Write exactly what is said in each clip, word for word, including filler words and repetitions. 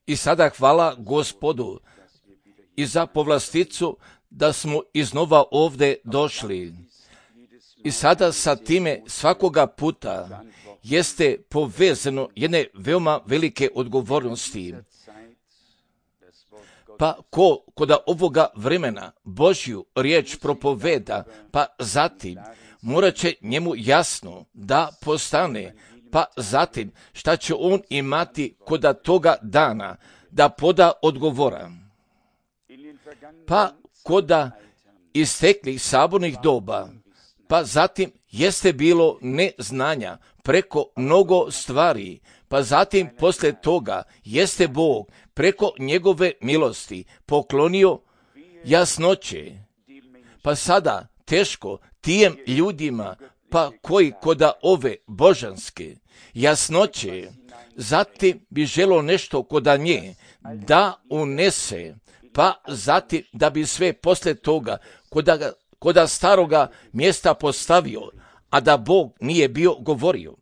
I sada hvala Gospodu i za povlasticu da smo iznova ovdje došli. I sada sa time svakoga puta jeste povezano jedne veoma velike odgovornosti. Pa ko koda ovoga vremena Božju riječ propoveda, pa zatim morat će njemu jasno da postane, pa zatim šta će on imati koda toga dana da poda odgovora. Pa koda isteklih sabornih doba, pa zatim jeste bilo neznanja preko mnogo stvari, pa zatim poslije toga jeste Bog preko njegove milosti poklonio jasnoće. Pa sada teško tijem ljudima, pa koji koda ove božanske jasnoće, zatim bi želo nešto koda nje da unese, pa zatim da bi sve poslije toga koda, koda staroga mjesta postavio, a da Bog nije bio govorio.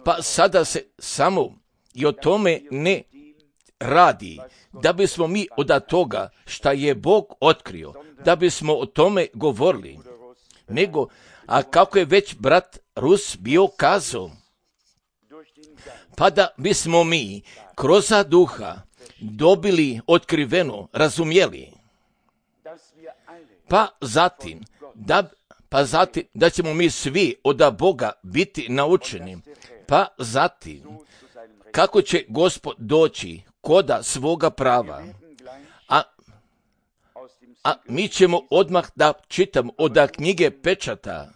Pa sada se samo i o tome ne radi, da bismo mi od toga šta je Bog otkrio, da bismo o tome govorili, nego, a kako je već brat Rus bio kazao, pa da bismo mi kroz duha dobili otkriveno, razumjeli, pa zatim, da, pa zatim da ćemo mi svi od Boga biti naučeni, pa zatim kako će Gospod doći koda svoga prava. A, a mi ćemo odmah da čitamo od knjige pečata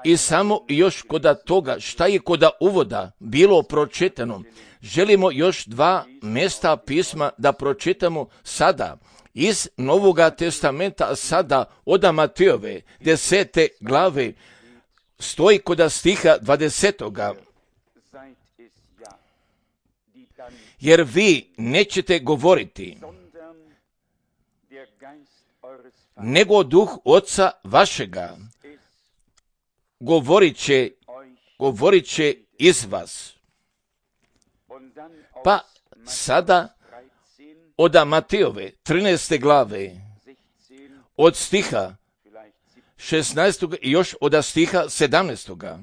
i samo još koda toga šta je koda uvoda bilo pročitano. Želimo još dva mjesta pisma da pročitamo sada iz Novoga testamenta, sada od Matejove desete glave, stoji koda stiha dvadesetoga. Jer vi nećete govoriti, nego duh Oca vašega govorit će, govorit će iz vas. Pa sada od Matejove trinaeste glave, od stiha šesnaestog i još od stiha sedamnaestoga.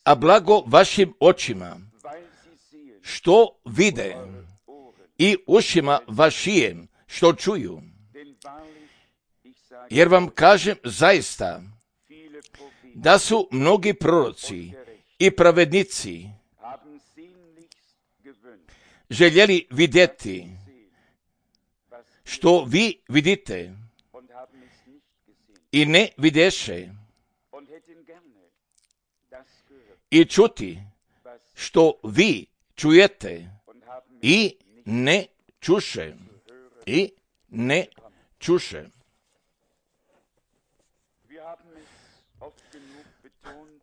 A blago vašim očima, što vide, i ušima vašijem, što čuju. Jer vam kažem zaista, da su mnogi proroci i pravednici željeli vidjeti što vi vidite i ne videše, i čuti što vi čujete i ne čuše, i ne čuše.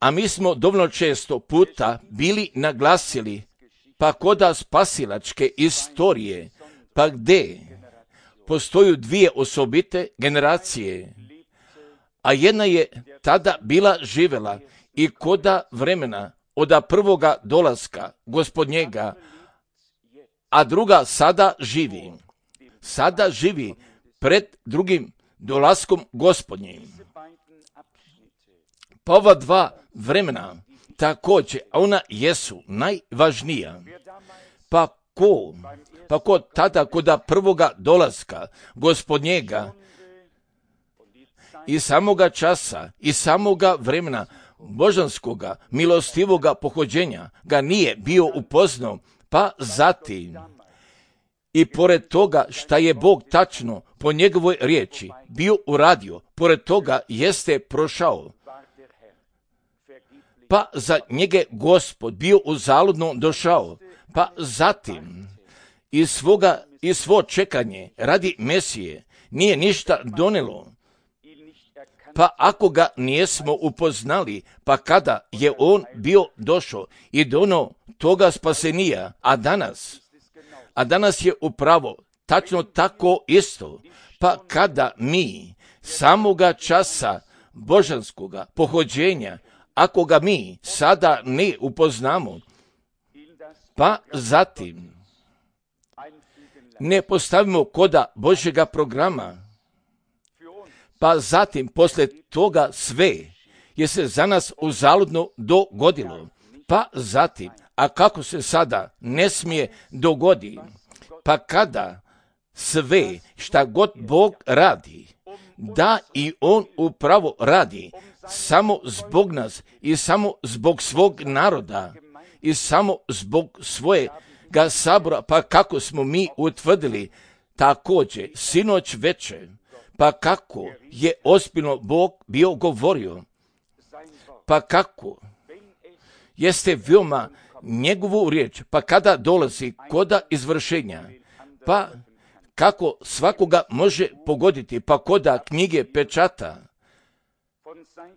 A mi smo dovoljno često puta bili naglasili, pa koda spasilačke istorije, pa gdje postoju dvije osobite generacije, a jedna je tada bila živjela i koda vremena od prvoga dolaska Gospodnjega, a druga sada živi. Sada živi pred drugim dolaskom Gospodnjim. Pa ova dva vremena također, a ona jesu najvažnija. Pa ko, pa ko tada koda prvoga dolaska Gospodnjega i samoga časa i samoga vremena božanskoga, milostivoga pohođenja ga nije bio upoznao, pa zatim i pored toga šta je Bog tačno po njegovoj riječi bio uradio, pored toga jeste prošao, pa za njega Gospod bio uzaludno došao, pa zatim iz svoga i svo čekanje radi Mesije nije ništa donelo. Pa ako ga nijesmo upoznali, pa kada je on bio došao i dono toga spasenija, a danas, a danas je upravo tačno tako isto, pa kada mi samoga časa božanskoga pohođenja, ako ga mi sada ne upoznamo, pa zatim ne postavimo koda Božjega programa, pa zatim poslije toga sve je se za nas uzaludno dogodilo, pa zatim, a kako se sada ne smije dogodi, pa kada sve šta god Bog radi, da i On upravo radi samo zbog nas i samo zbog svog naroda i samo zbog svojega sabora, pa kako smo mi utvrdili također sinoć večer, pa kako je ozbiljno Bog bio govorio, pa kako jeste veoma njegovu riječ, pa kada dolazi koda izvršenja, pa kako svakoga može pogoditi, pa koda knjige pečata.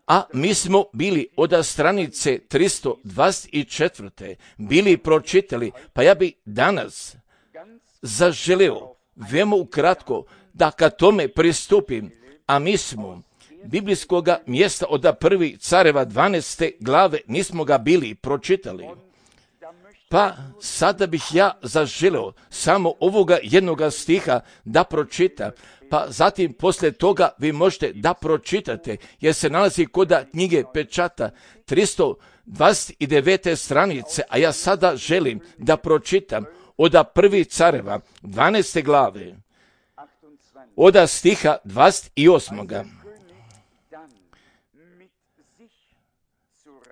A mi smo bili od stranice tristo dvadeset četiri. bili pročitali, pa ja bi danas zaželeo veoma ukratko da ka tome pristupim, a mi smo biblijskog mjesta od prvi careva dvanaeste glave nismo ga bili pročitali. Pa sada bih ja zaželeo samo ovoga jednoga stiha da pročitam, pa zatim poslije toga vi možete da pročitate, jer se nalazi koda knjige pečata tristo dvadeset devete stranice, a ja sada želim da pročitam od prvi careva dvanaeste glave, od stiha dvadeset osam.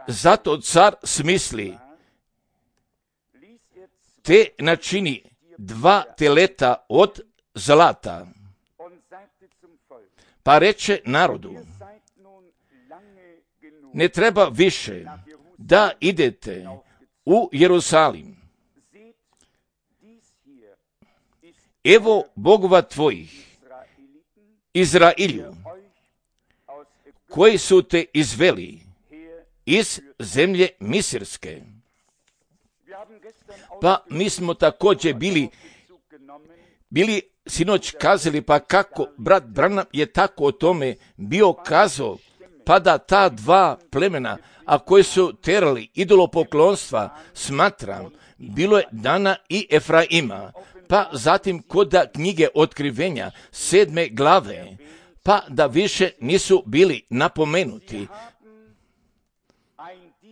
Zato car smisli, te načini dva teleta od zlata, pa reče narodu, ne treba više da idete u Jerusalim. Evo bogova tvojih, Izrailju, koji su te izveli iz zemlje Misirske. Pa mi smo također bili, bili sinoć kazali, pa kako brat Branham je tako o tome bio kazao, pa da ta dva plemena, a koje su terali idolopoklonstva, smatram, bilo je Dana i Efraima, pa zatim koda knjige otkrivenja sedme glave, pa da više nisu bili napomenuti,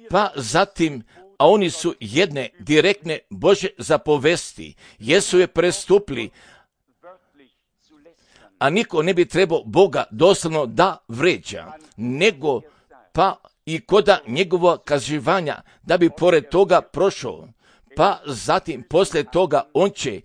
pa zatim, a oni su jedne direktne Božje zapovesti, jesu je prestupili, a niko ne bi trebao Boga doslovno da vređa, nego pa i koda njegova kaživanja da bi pored toga prošao, pa zatim poslije toga on će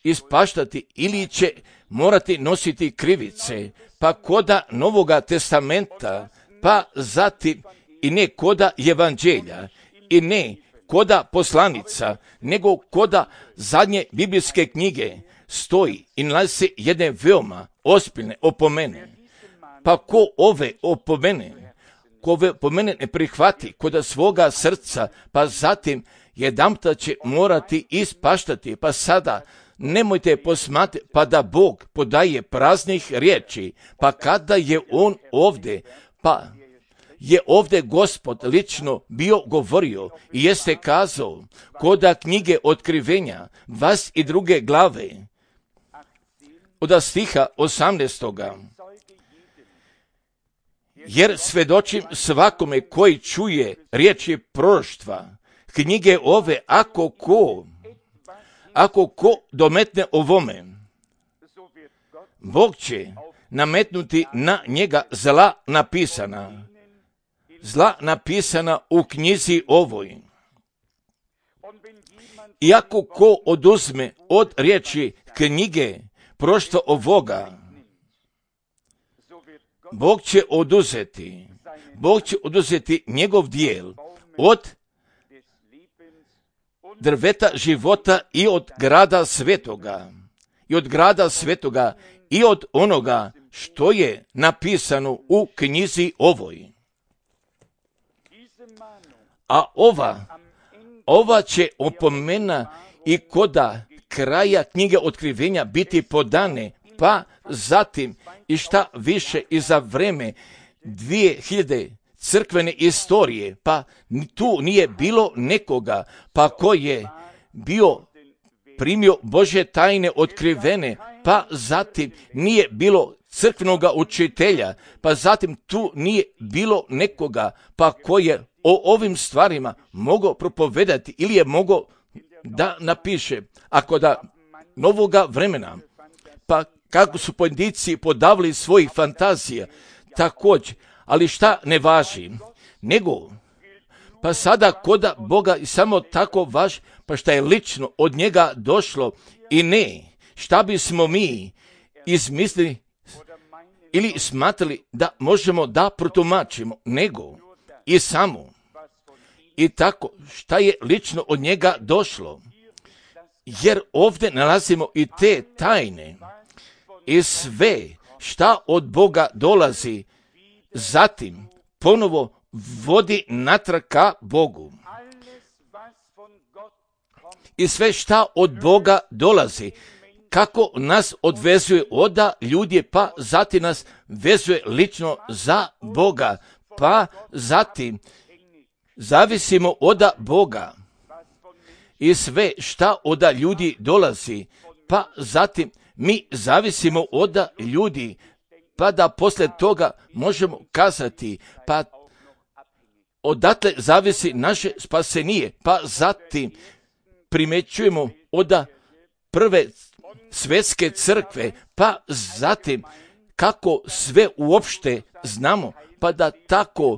ispaštati ili će morati nositi krivice, pa koda Novoga testamenta, pa zatim i ne koda evanđelja, i ne koda poslanica, nego koda zadnje biblijske knjige stoji i nalazi se jedne veoma ozbiljne opomene. Pa ko ove opomene, ko ove opomene ne prihvati koda svoga srca, pa zatim jedanputa će morati ispaštati, pa sada nemojte posmatrati, pa da Bog podaje praznih riječi, pa kada je On ovdje, pa je ovdje Gospod lično bio govorio i jeste kazao koda knjige otkrivenja dvadeset druge glave od stiha osamnaestoga. Jer svedočim svakome koji čuje riječi proroštva knjige ove, ako ko ako ko dometne ovome, Bog će nametnuti na njega zla napisana, zla napisana u knjizi ovoj. I ako ko oduzme od riječi knjige proroštva ovoga, Bog će oduzeti, Bog će oduzeti njegov dijel od drveta života i od grada svetoga, i od grada svetoga i od onoga što je napisano u knjizi ovoj. A ova, ova će opomena i koda kraja knjige otkrivenja biti podane, pa zatim i šta više i za vreme dvije hiljade crkvene istorije, pa tu nije bilo nekoga, pa ko je bio primio Božje tajne otkrivene, pa zatim nije bilo crkvenoga učitelja, pa zatim tu nije bilo nekoga, pa ko je o ovim stvarima mogao propovedati ili je mogao da napiše. Ako da novoga vremena, pa kako su pojedinci podavili svojih fantazija, također, ali šta ne važi, nego, pa sada koda Boga i samo tako važi, pa šta je lično od njega došlo i ne, šta bismo mi izmislili ili smatrali da možemo da protumačimo, nego i samo i tako šta je lično od njega došlo. Jer ovdje nalazimo i te tajne i sve šta od Boga dolazi, zatim ponovo vodi natrag ka Bogu. I sve šta od Boga dolazi, kako nas odvezuje oda ljudi, pa zatim nas vezuje lično za Boga, pa zatim zavisimo oda Boga. I sve šta oda ljudi dolazi, pa zatim mi zavisimo oda ljudi, pa da poslije toga možemo kazati, pa odatle zavisi naše spasenije, pa zatim primećujemo oda prve svjetske crkve, pa zatim kako sve uopšte znamo, pa da tako,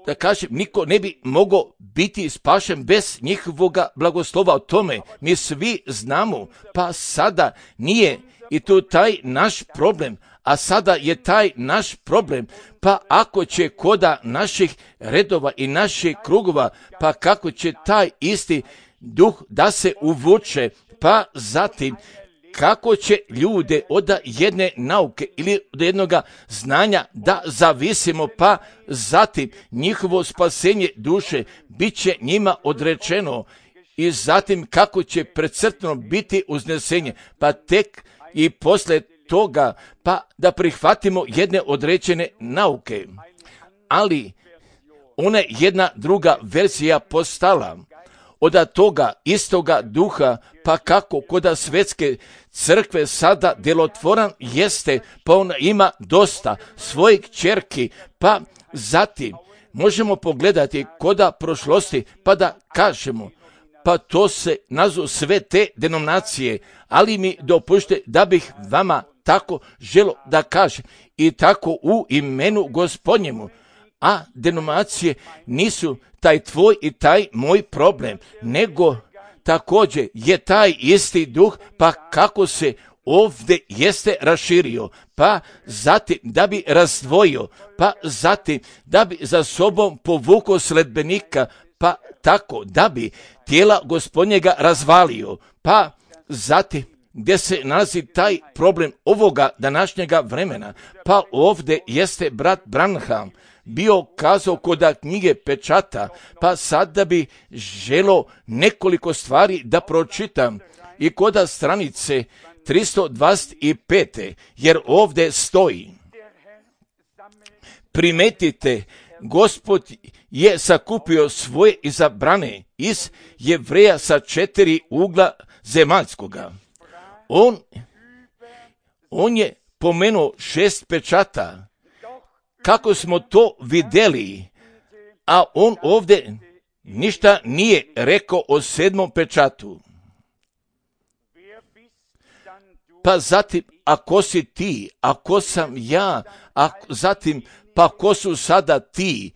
da kažem, niko ne bi mogao biti spašen bez njihovoga blagoslova. O tome mi svi znamo, pa sada nije i to taj naš problem, a sada je taj naš problem, pa ako će koda naših redova i naših krugova, pa kako će taj isti duh da se uvuče, pa zatim kako će ljude od jedne nauke ili od jednoga znanja da zavisimo, pa zatim njihovo spasenje duše bit će njima odrečeno i zatim kako će precrtano biti uznesenje, pa tek i poslije toga pa da prihvatimo jedne određene nauke. Ali ona je jedna druga verzija postala od toga istoga duha, pa kako koda svjetske crkve sada djelotvoran jeste, pa ona ima dosta svojih kćerki, pa zatim možemo pogledati koda prošlosti, pa da kažemo, pa to se nazu sve te denominacije, ali mi dopušte da bih vama tako želo da kažem i tako u imenu Gospodnjemu, a denominacije nisu taj tvoj i taj moj problem, nego također je taj isti duh, pa kako se ovdje jeste raširio, pa zatim da bi razdvojio, pa zatim da bi za sobom povukao sledbenika, pa tako da bi tijela Gospodnjega razvalio, pa zatim gdje se nalazi taj problem ovoga današnjega vremena, pa ovdje jeste brat Branham bio kazao koda knjige pečata, pa sad da bi želo nekoliko stvari da pročitam i koda stranice tristo dvadeset pet, jer ovdje stoji: primetite, Gospod je sakupio svoje izabrane iz Jevreja sa četiri ugla zemaljskoga. On, on je pomenuo šest pečata, kako smo to vidjeli, a on ovdje ništa nije rekao o sedmom pečatu. Pa zatim, ako si ti, ako sam ja, a zatim, pa ko su sada ti,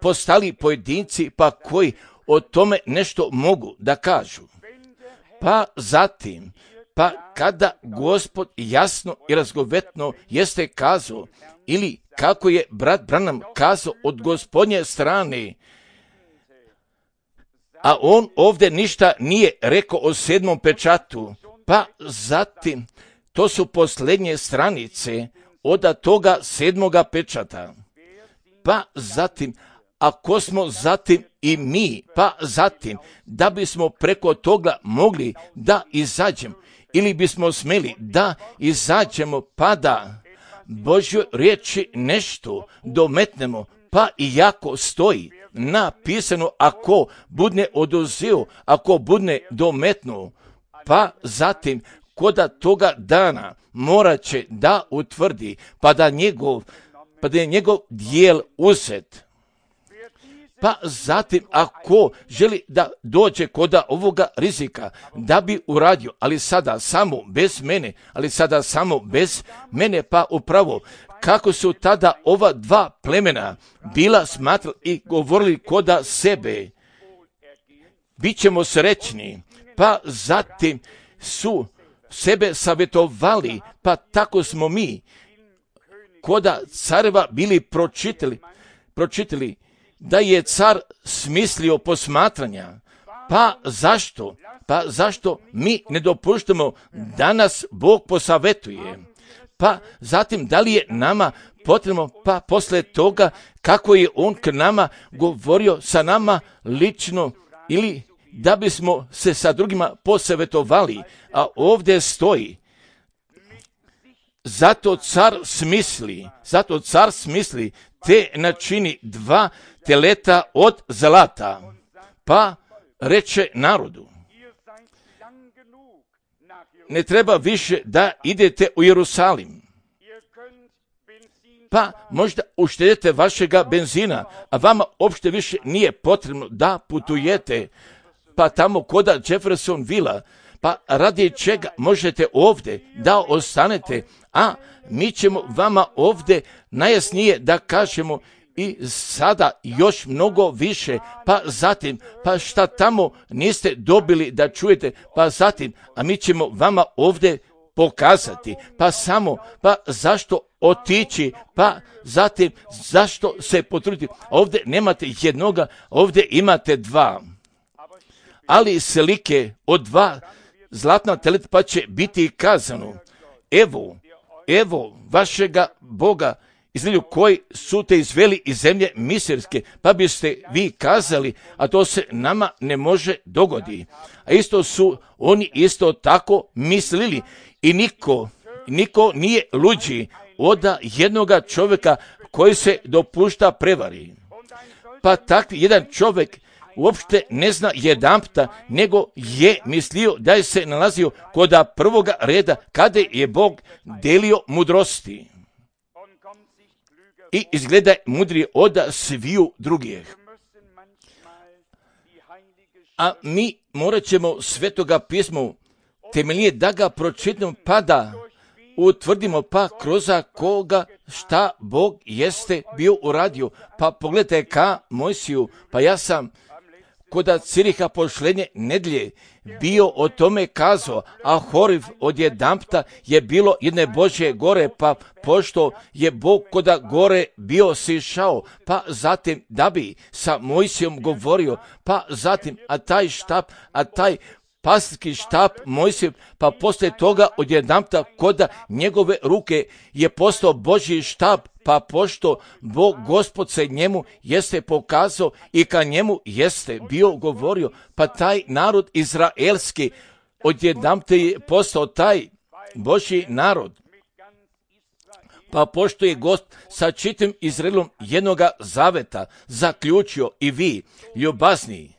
postali pojedinci, pa koji o tome nešto mogu da kažu. Pa zatim, pa kada Gospod jasno i razgovetno jeste kazao, ili kako je brat Branham kazao od Gospodnje strane, a on ovdje ništa nije rekao o sedmom pečatu, pa zatim, to su posljednje stranice od toga sedmoga pečata. Pa zatim, ako smo zatim i mi, pa zatim, da bismo preko toga mogli da izađemo, ili bismo smeli da izađemo, pa da Božjoj riječi nešto dometnemo, Pa iako stoji napisano, ako budne oduzeo, ako budne dometnuo, pa zatim koda toga dana morat će da utvrdi, pa da njegov, pa da je njegov dijel uzet. Pa zatim ako želi da dođe koda ovoga rizika, da bi uradio, ali sada samo bez mene, ali sada samo bez mene, pa upravo kako su tada ova dva plemena bila smatrali i govorili koda sebe, bit ćemo srećni, pa zatim su sebe savjetovali, pa tako smo mi koda careva bili pročitali, pročitali da je car smislio posmatranja. Pa zašto? Pa zašto mi ne dopuštamo da nas Bog posavetuje? Pa zatim da li je nama potrebno, pa posle toga kako je on k nama govorio sa nama lično, ili da bismo se sa drugima posavjetovali, a ovdje stoji zato car smisli, zato car smisli te načini dva teleta od zlata, pa reče narodu, ne treba više da idete u Jerusalim, pa možda uštedite vašega benzina, a vama uopšte više nije potrebno da putujete, pa tamo koda Jeffersonvilla, pa radi čega možete ovdje da ostanete, a mi ćemo vama ovdje najjasnije da kažemo i sada još mnogo više, pa zatim, pa šta tamo niste dobili da čujete, pa zatim, a mi ćemo vama ovdje pokazati, pa samo, pa zašto otići, pa zatim, zašto se potruditi, ovdje nemate jednoga, ovdje imate dva, ali slike od dva zlatna teleta, pa će biti kazano, evo, evo vašega Boga, između koji su te izveli iz zemlje misirske, pa biste vi kazali, a to se nama ne može dogodi. A isto su oni isto tako mislili i niko, niko nije luđi od jednoga čovjeka koji se dopušta prevari. Pa takvi jedan čovjek uopšte ne zna jedanputa, nego je mislio da je se nalazio koda prvoga reda kada je Bog delio mudrosti. I izgleda mudrije od sviju drugih. A mi morat ćemo Svetoga pisma temeljnije da ga pročitamo, pa da utvrdimo, pa kroz koga šta Bog jeste bio uradio. Pa pogledajte ka Mojsiju, pa ja sam koda Ciriha pošlenje nedlje bio o tome kazao, a Horiv odjedanpta je bilo jedne Božje gore, pa pošto je Bog koda gore bio sišao, pa zatim da bi sa Mojsijom govorio, pa zatim, a taj štap, a taj pastirski štap Mojsijev, pa poslije toga odjedanpta koda njegove ruke je postao Božji štap, pa pošto Bog Gospod se njemu jeste pokazao i ka njemu jeste bio govorio, pa taj narod izraelski odjedanpta je postao taj Božji narod. Pa pošto je Gost sa čitim Izraelom jednoga zaveta zaključio i vi, ljubazniji,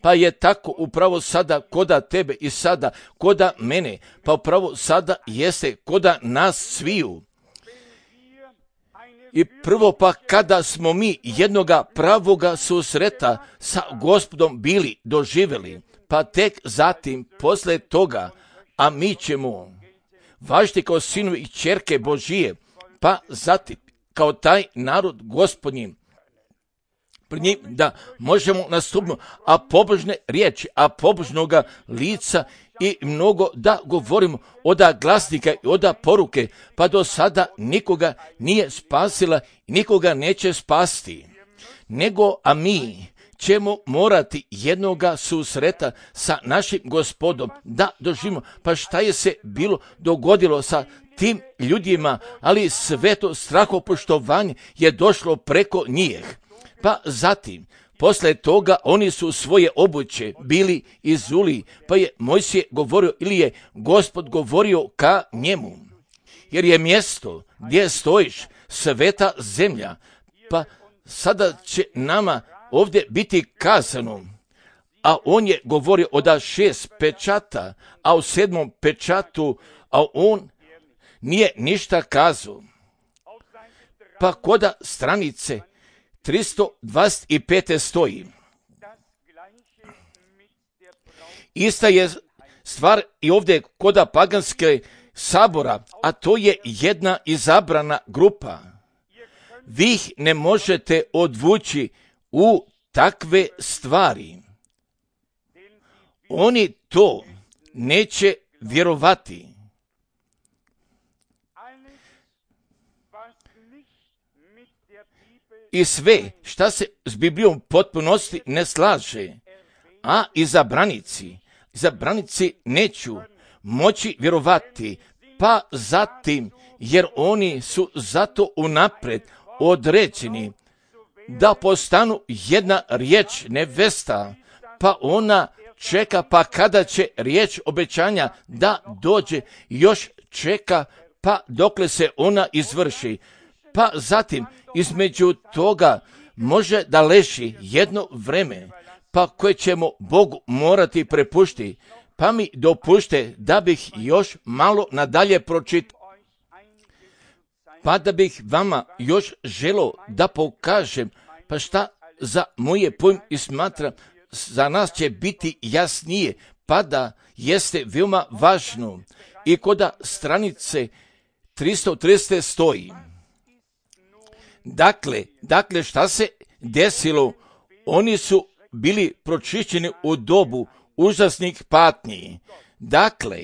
pa je tako upravo sada koda tebe i sada koda mene, pa upravo sada jeste koda nas sviju. I prvo pa kada smo mi jednoga pravoga susreta sa Gospodom bili doživjeli, pa tek zatim posle toga, a mi ćemo važiti kao sinovi i ćerke Božije, pa zatim kao taj narod Gospodnji, pred njim da možemo nastupno, a pobožne riječi, a pobožnoga lica i mnogo da govorimo oda glasnika i oda poruke, pa do sada nikoga nije spasila i nikoga neće spasti. Nego, a mi ćemo morati jednoga susreta sa našim Gospodom da doživimo. Pa šta je se bilo dogodilo sa tim ljudima, ali sve to strahopoštovanje je došlo preko njih. Pa zatim, posle toga oni su svoje obuće bili izuli, pa je Mojsije govorio ili je Gospod govorio ka njemu. Jer je mjesto gdje stojiš sveta zemlja, pa sada će nama ovdje biti kazano, a on je govorio o da šest pečata, a u sedmom pečatu, a on nije ništa kazao. Pa koda stranice tristo dvadeset pet stoji. Ista je stvar i ovdje koda paganske sabora, a to je jedna izabrana grupa. Vi ih ne možete odvući u takve stvari. Oni to neće vjerovati. I sve šta se s Biblijom potpunosti ne slaže, a izabranici, izabranici neću moći vjerovati, pa zatim, jer oni su zato unaprijed određeni da postanu jedna riječ nevesta, pa ona čeka, pa kada će riječ obećanja da dođe, još čeka, pa dokle se ona izvrši. Pa zatim, između toga može da leži jedno vreme, pa koje ćemo Bogu morati prepušti, pa mi dopušte da bih još malo nadalje pročitao, pa da bih vama još želo da pokažem, pa šta za moje pojm i smatram, za nas će biti jasnije, pa da jeste veoma važno. I koda stranice tristo trideset stoji. Dakle, dakle šta se desilo? Oni su bili pročišćeni u dobu užasnih patnji. Dakle,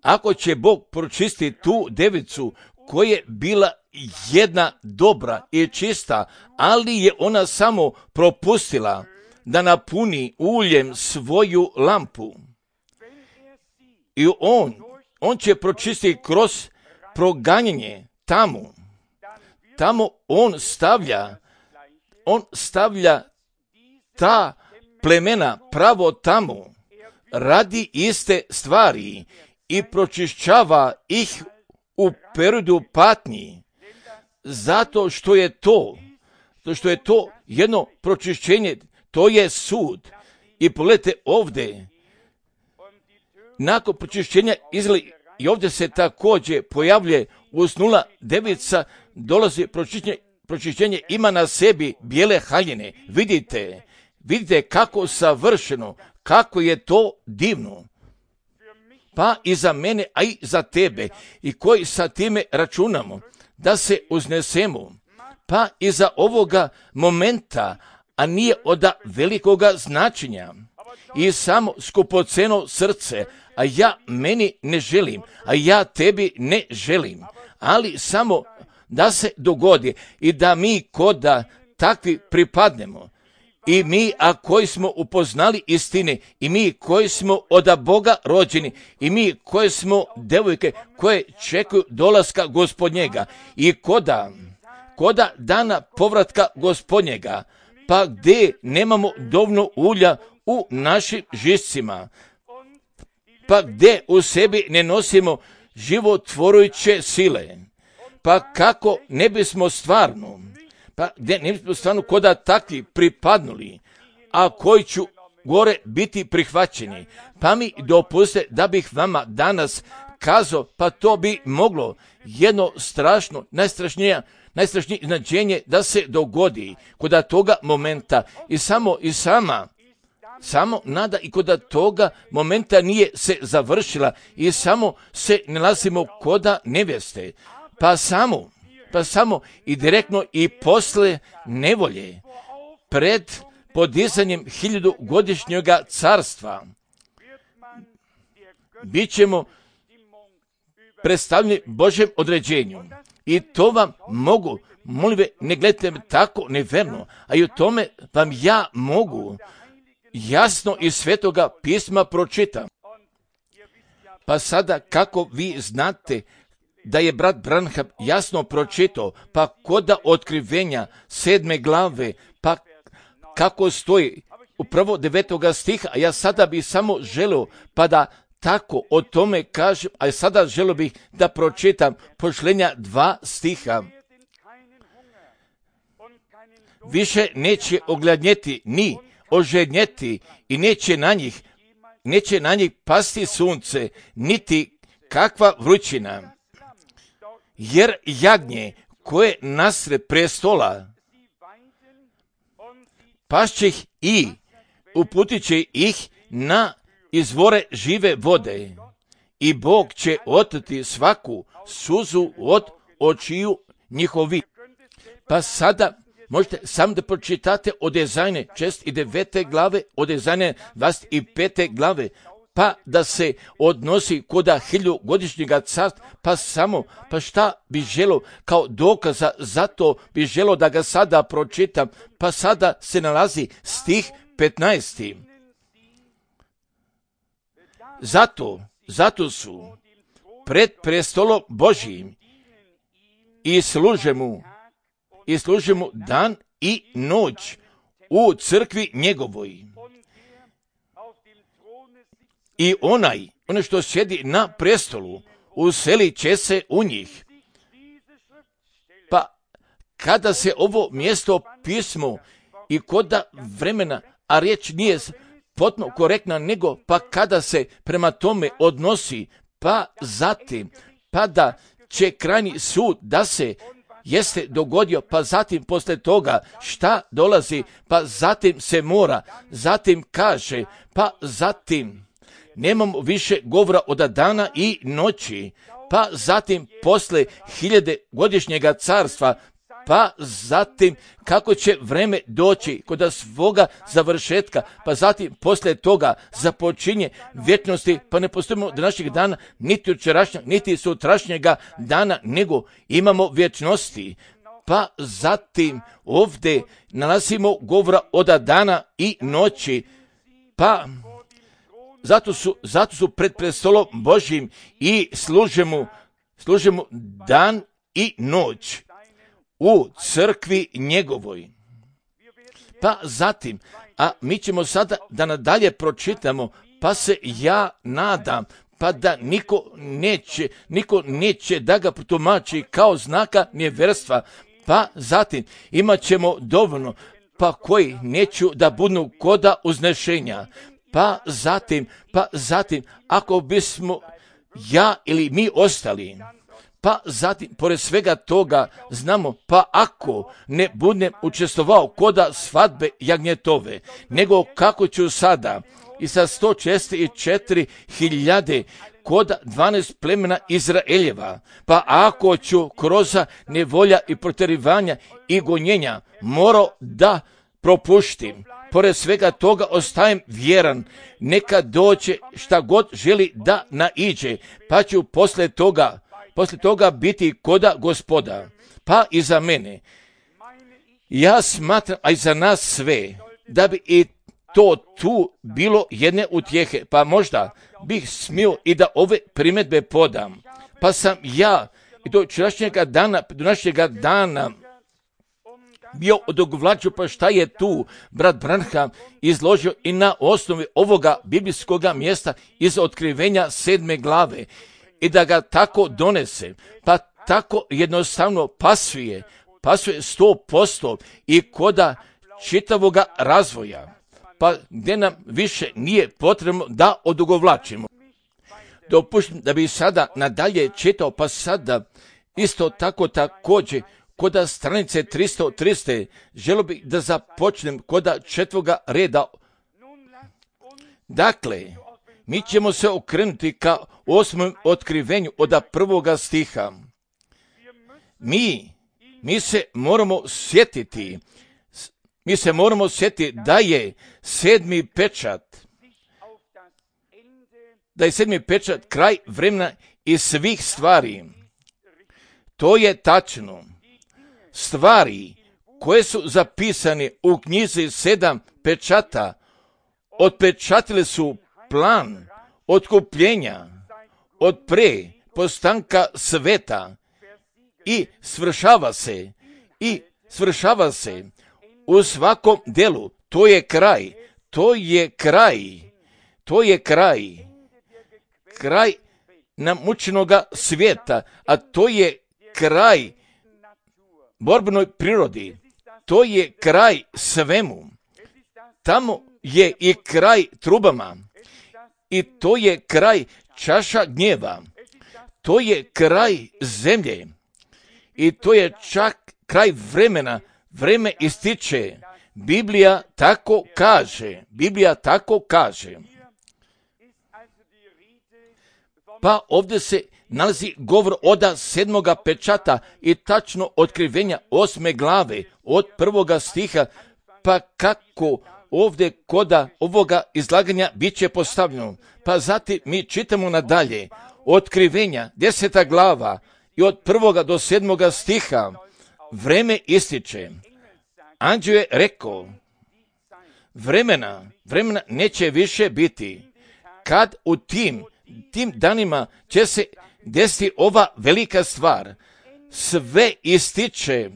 ako će Bog pročistiti tu devicu koja je bila jedna dobra i čista, ali je ona samo propustila da napuni uljem svoju lampu. I on, on će pročistiti kroz proganjanje tamo. Tamo on stavlja, on stavlja ta plemena pravo tamo, radi iste stvari i pročišćava ih u periodu patnji, zato što je to, zato što je to jedno pročišćenje, to je sud. I pogledajte ovdje, nakon pročišćenja Izraela, i ovdje se također pojavljuje usnula devica, dolazi pročišćenje, pročišćenje ima na sebi bijele haljine. Vidite, vidite kako savršeno, kako je to divno. Pa i za mene, a i za tebe, i koji sa time računamo, da se uznesemo, pa i za ovoga momenta, a nije od velikoga značenja, i samo skupoceno srce, a ja meni ne želim, a ja tebi ne želim, ali samo da se dogodi i da mi koda takvi pripadnemo, i mi, a koji smo upoznali istine, i mi koji smo od Boga rođeni, i mi koji smo devojke koje čekaju dolaska Gospodnjega, i koda, koda dana povratka Gospodnjega, pa gdje nemamo dovoljno ulja u našim žicima, pa gdje u sebi ne nosimo životvorujuće sile, pa kako ne bismo stvarno, pa gdje ne bismo stvarno koda takvi pripadnuli, a koji ću gore biti prihvaćeni. Pa mi dopuste da bih vama danas kazao, pa to bi moglo jedno strašno, najstrašnije, najstrašnije iznađenje da se dogodi koda toga momenta, i samo i sama, samo nada i koda toga momenta nije se završila, i samo se nalazimo koda nevjeste, pa samo, pa samo i direktno i posle nevolje, pred podizanjem hiljadugodišnjega carstva, bit ćemo predstavljeni Božjem određenju. I to vam mogu, molim ve, ne gledajte me tako neverno, a i o tome vam ja mogu jasno iz Svetoga pisma pročitam. Pa sada kako vi znate da je brat Branham jasno pročitao, pa koda otkrivenja sedme glave, pa kako stoji u prvo devetoga stiha, a ja sada bih samo želio pa da tako o tome kažem, a sada želio bih da pročitam pošlenja dva stiha. više neće ogladnjeti ni ožednjeti i neće na njih, neće na njih pasti sunce, niti kakva vrućina. Jer jagnje koje nasred prestola pašće ih i uputit će ih na izvore žive vode i Bog će otrti svaku suzu od očiju njihovi. Pa sada možete sam da pročitate od Ezajne šest i devete glave, od Ezajne dvadeset pete glave, pa da se odnosi koda hiljugodišnjega carstva, pa samo, pa šta bi želo kao dokaza, zato bi želo da ga sada pročitam, pa sada se nalazi stih petnaesti. Zato, zato su pred prestolom Božijim i služe mu, i služe mu dan i noć u crkvi njegovoj. I onaj, ono što sjedi na prestolu, uselit će se u njih. Pa kada se ovo mjesto pismo i koda vremena, a riječ nije potpuno korektna, nego pa kada se prema tome odnosi, pa zatim, pa da će krajnji sud da se jeste dogodio, pa zatim posle toga šta dolazi, pa zatim se mora, zatim kaže, pa zatim nemamo više govora od dana i noći, pa zatim posle hiljade godišnjega carstva, pa zatim kako će vreme doći kod svoga završetka, pa zatim posle toga započinje vječnosti, pa ne postojimo do naših dana, niti jučerašnjeg, niti sutrašnjega dana, nego imamo vječnosti. Pa zatim ovdje nalazimo govora od dana i noći, pa zato su, zato su pred prestolom Božjim i služe mu, služe mu dan i noć u crkvi njegovoj. Pa zatim, a mi ćemo sada da nadalje pročitamo, pa se ja nadam, pa da niko neće, niko neće da ga tumači kao znaka nevjerstva, pa zatim imat ćemo dovoljno, pa koji neću da budu koda uznešenja, pa zatim, pa zatim, ako bismo ja ili mi ostali, pa zatim, pored svega toga, znamo, pa ako ne budem učestvovao koda svadbe jagnjetove, nego kako ću sada i sa sto šezdeset četiri hiljade koda dvanaest plemena Izraeljeva, pa ako ću kroz nevolja i protjerivanja i gonjenja morao da propuštim, pored svega toga ostajem vjeran, neka doće šta god želi da naiđe, pa ću posle toga Posle toga biti koda Gospoda, pa i za mene. Ja smatram, a i za nas sve, da bi i to tu bilo jedne utjehe, pa možda bih smio i da ove primjedbe podam. Pa sam ja i do včerašnjega dana, do našega dana bio odogovlačio, pa šta je tu brat Branham izložio i na osnovi ovoga biblijskoga mjesta iz otkrivenja sedme glave. I da ga tako donese, pa tako jednostavno pasuje, pasuje sto posto i koda čitavoga razvoja, pa gdje nam više nije potrebno da odugovlačimo. Dopuštam da bi sada nadalje čitao, pa sada isto tako također koda stranice tristo trideset, želio bih da započnem koda četvoga reda. Dakle, mi ćemo se okrenuti ka osmom otkrivenju od prvoga stiha. Mi, mi se moramo sjetiti, mi se moramo sjetiti da je sedmi pečat, da je sedmi pečat kraj vremena i svih stvari. To je tačno. Stvari koje su zapisane u knjizi sedam pečata otpečatile su plan otkupljenja od pre postanka sveta i svršava se i svršava se u svakom delu. To je kraj, to je kraj, to je kraj, kraj namučenoga svijeta, a to je kraj borbenoj prirodi. to je kraj svemu. Tamo je i kraj trubama. I to je kraj čaša gnjeva. To je kraj zemlje. I to je čak kraj vremena. Vreme ističe. Biblija tako kaže. Biblija tako kaže. Pa ovdje se nalazi govor oda sedmoga pečata i tačno otkrivenja osme glave od prvoga stiha, pa kako ovdje koda ovoga izlaganja bit će postavljeno. Pa zatim mi čitamo nadalje otkrivenja deseta glava i od prvoga do sedmoga stiha vreme ističe. Anđeo je rekao, vremena, vremena neće više biti, kad u tim, tim danima će se desiti ova velika stvar. Sve ističe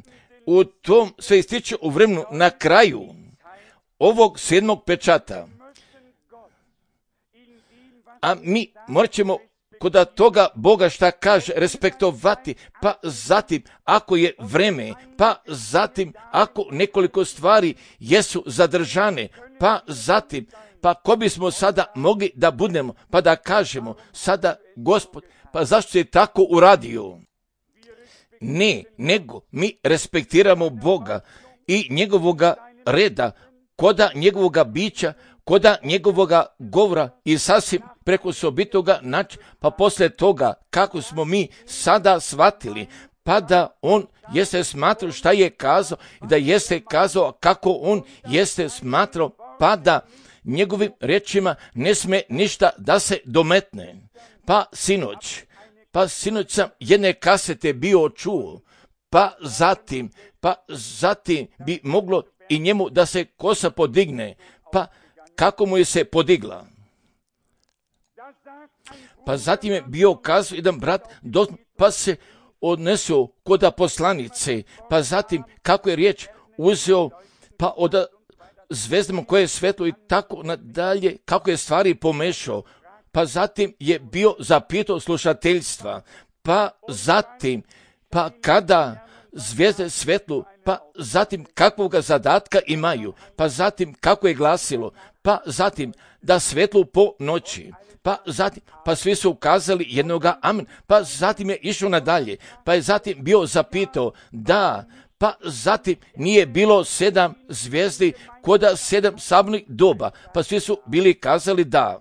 u tom, sve ističe u vremenu na kraju ovog sedmog pečata. A mi morat ćemo kod toga Boga šta kaže respektovati, pa zatim ako je vreme, pa zatim ako nekoliko stvari jesu zadržane, pa zatim, pa ko bismo sada mogli da budemo, pa da kažemo sada Gospod, pa zašto je tako uradio? Ne, nego mi respektiramo Boga i njegovoga reda, koda njegovoga bića, koda njegovoga govora i sasvim preko sobitoga načina, pa poslije toga kako smo mi sada shvatili, pa da on jeste smatrao šta je kazao i da jeste kazao kako on jeste smatrao, pa da njegovim rečima ne sme ništa da se dometne. Pa sinoć, pa sinoć sam jedne kasete bio čuo, pa zatim, pa zatim bi moglo i njemu da se kosa podigne, pa kako mu je se podigla. Pa zatim je bio kazao jedan brat, pa se odnesao koda poslanice, pa zatim kako je riječ uzeo, pa od zvezdama koje je svetlo i tako nadalje, kako je stvari pomešao, pa zatim je bio zapitao slušateljstva, pa zatim, pa kada zvijezde svetlu, pa zatim kakvog zadatka imaju, pa zatim kako je glasilo, pa zatim da svetlu po noći, pa zatim, pa svi su ukazali jednoga amen, pa zatim je išao nadalje, pa je zatim bio zapitao da, pa zatim nije bilo sedam zvijezdi koda sedam sabornih doba, pa svi su bili kazali da.